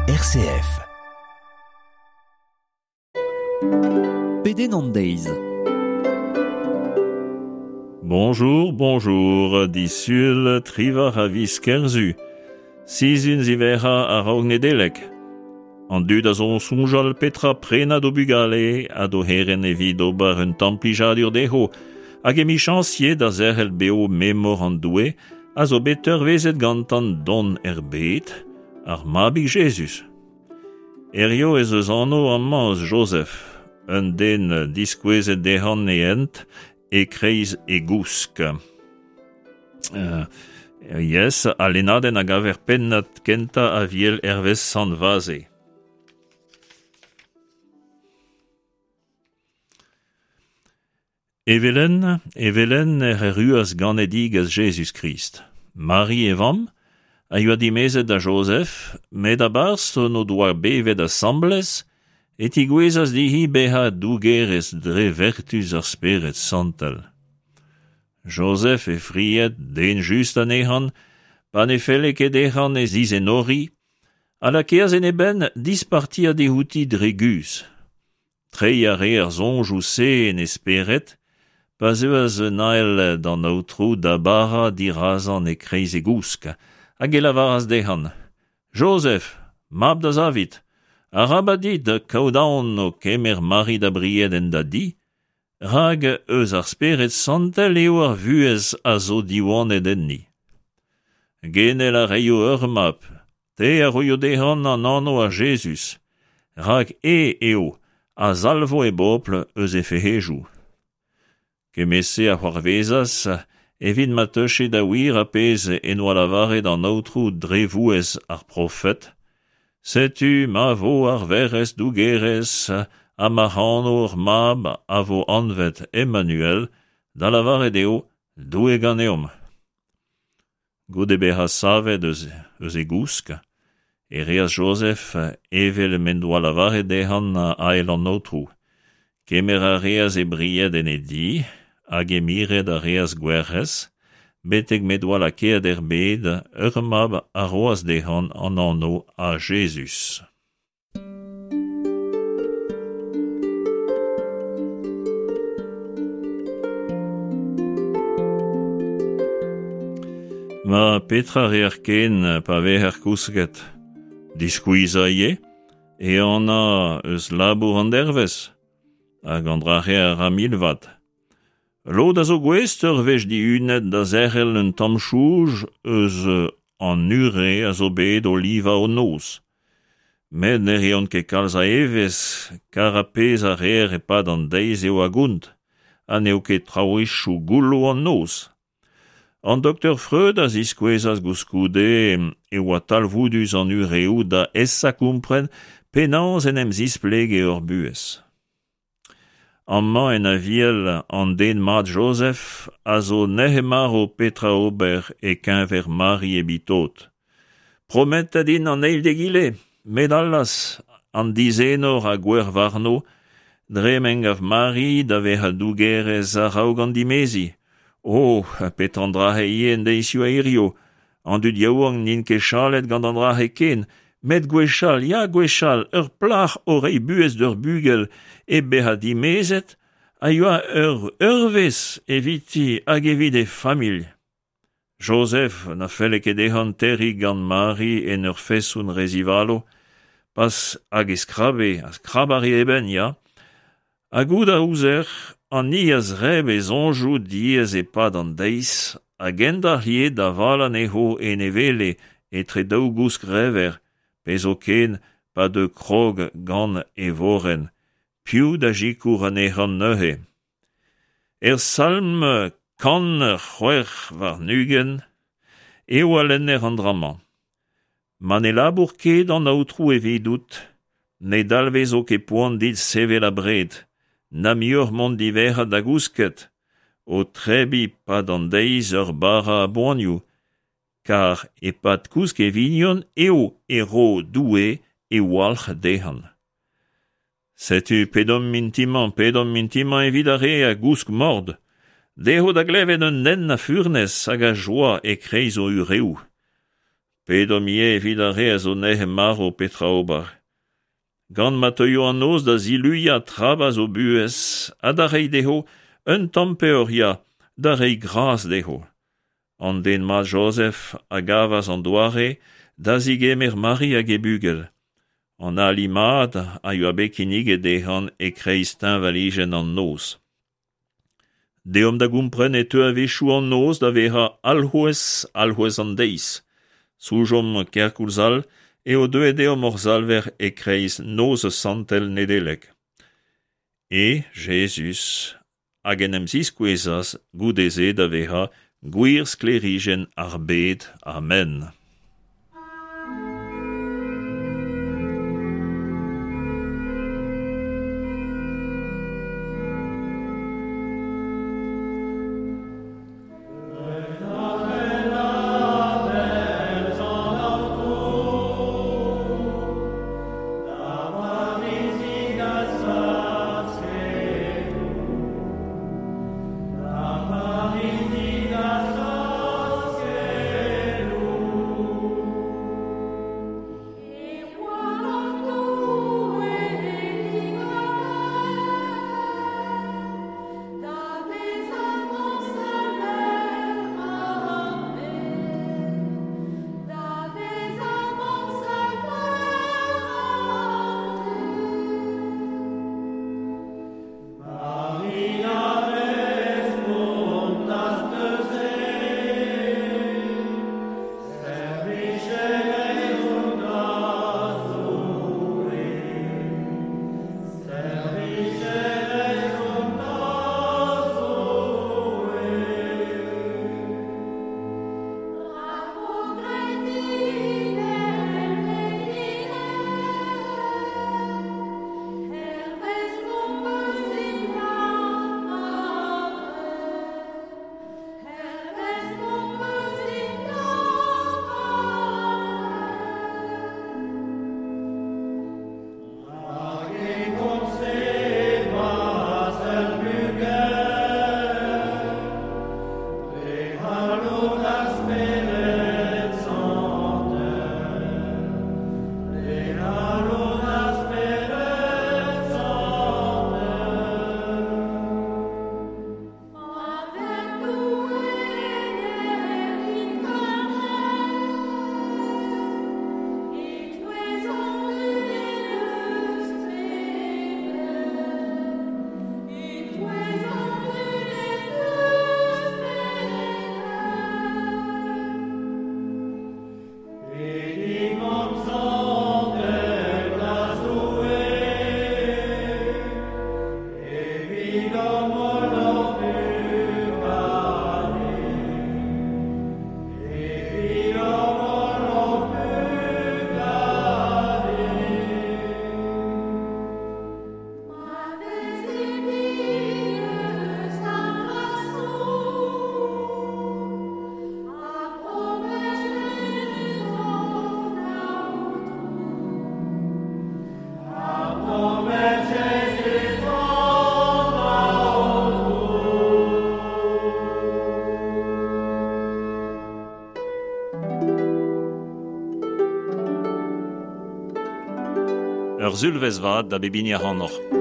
RCF. Pedenn an deiz. Bonjour, bonjour, disul triwac'h a viz Kerzu. Sizhun ziwezhañ a-raok Nedeleg. An dud a zo soñjal petra prenañ d'o bugale ha d'o c'herent evit ober un tamm plijadur dezho, hag emichañs ivez da zerc'hel bev memor an Doue a zo bet teurvezet gantañ dont er bed, ar Mabig Jezuz. Hiziv ez eus anv amañ eus Jozef, un den diskouezet dezhañ e hent e-kreiz e gousk. Yes, al lennadenn a gaver pennad kentañ Aviel hervez Sant Vaze. Evel-henn, evel-henn ec'h erruas ganedigezh Jezuz-Krist. Mari, e vamm, a yoa dimezet da Jozef, met a-barzh n'o doa bevet asambles e tigouezas dezhi bezañ dougerez dre vertuz ar Spered Santel. Jozef, he fried, den just anezhañ, pa ne felle ket dezhañ e zizenoriñ, a lakeas en e benn dispartiañ diouti dre guzh. Treiñ a rae ar soñjoù-se en e spered pa zeuas un ael d'an aotrou da barañ dirazañ e-kreiz e gousk, hag e lavaras dezhañ: Jozef, mab da Zavid, arabat dit kaout aon o kemer Mari da bried en da di, rak eus ar Spered Santel eo ar vuhez a zo diwanet enni. Genel a reio ur mab, te a roio dezhañ an anv a Jezuz, rak e eo a salvo e bobl eus he fec'hedoù. Kement-se a c'hoarvezas evit ma teuche da wir ar pezh en doa lavaret an Aotrou dre vouezh ar profed, Setu ma vo ar Werc'hez dougerez ha ma c'hano ur mab a vo anvet Emmanuel, da lavaret eo Doue ganeomp. Goude bezañ savet eus, eus e gousk, e reas Jozef evel m'en doa lavaret dezhañ ael an Aotrou. Kemer a reas e bried en e di hag e miret a reas gwerc'hez, betek m'he doa lakaet er bed ur mab a roas dezhañ an anv a Jezuz. Ma petra reer ken pa vezer kousket? Diskuizhañ ivez, ehanañ eus labour an dervezh, hag an dra-se a ra milvat. Lod a zo gouest ur wech dihunet da zerc'hel un tamm soñj eus an ure a zo bet o livañ o noz. Met ne reont ket kalz a evezh kar ar pezh a reer e-pad an deiz eo a gont, ha n'eo ket traouezhioù goullo an noz. An doktor Freud a ziskouezas gouskoude e oa talvoudus an ureoù da aesañ kompren penaos en em zisplege hor buhez. Amañ en Aviel an den mat Jozef a zo nec'het-marv petra ober e-keñver Mari e Bitot. Prometet int an eil d'egile, met allaz, an dizenor a gouezh warno dre m'en gav Mari da vezañ dougerez a-raok an dimeziñ. Oh, petra an dra-se ivez en deizioù a hirio, An dud yaouank n'int ket chalet gant an dra-se ken, met gwechall, ya gwechall, ur plac'h o reiñ buhez d'ur bugel hep bezañ dimezet a yoa ur eurvezh eviti hag evit he familh. Joseph na felle ket dezhañ terriñ gant Mari en ur feson re zivalo, pas hag e skrabe, ha skrabañ a rae e benn, ya. Ha goût a ouzer, an hini a zreb e soñjoù diaes e-pad an deiz a gendalc'h ivez da valañ anezho en e wele etre daou gousk rever, pe zoken pa deu krog gant e vorenn, piv da sikour anezhañ neuze? Er salm 126 eo a lenner an dra-mañ. Ma ne labour ket an Aotrou evidout, ne dalvezo ket poan dit sevel abred, na muioc'h mont diwezhat da gousket, o tebriñ 'pad an deiz ur bara a boanioù, kar e-pad kousk e vignon eo e ro Doue e walc'h dezhañ. Setu pedomp mintin-mañ, pedomp mintin-mañ evit ar re a gousk mort, dezho da glevet un hent a furnez hag a joa e-kreiz o ureoù. Pedomp ivez evit ar re a zo nec'het-marv petra ober. Gant ma teuio an noz da ziluiañ trabas o buhez ha da reiñ dezho un tamm peoc'h, ya, da reiñ gras dezho. An den mat Jozef a gavas an doare da zigemer Mari hag he bugel. An ali mat a yoa bet kinniget dezhañ e-kreiz teñvalijenn an noz. Deomp da gompren e teu a-wechoù an noz da vezañ alc'houez alc'houez an deiz. Soñjomp kerkoulz all eo deuet deomp hor Salver e-kreiz noz santel Nedeleg. E Jezuz hag en em ziskouezas goude-se da vezañ gwir sklêrijenn ar bed. Amen. Ur sulvezh vat da bep hini ac'hanoc'h.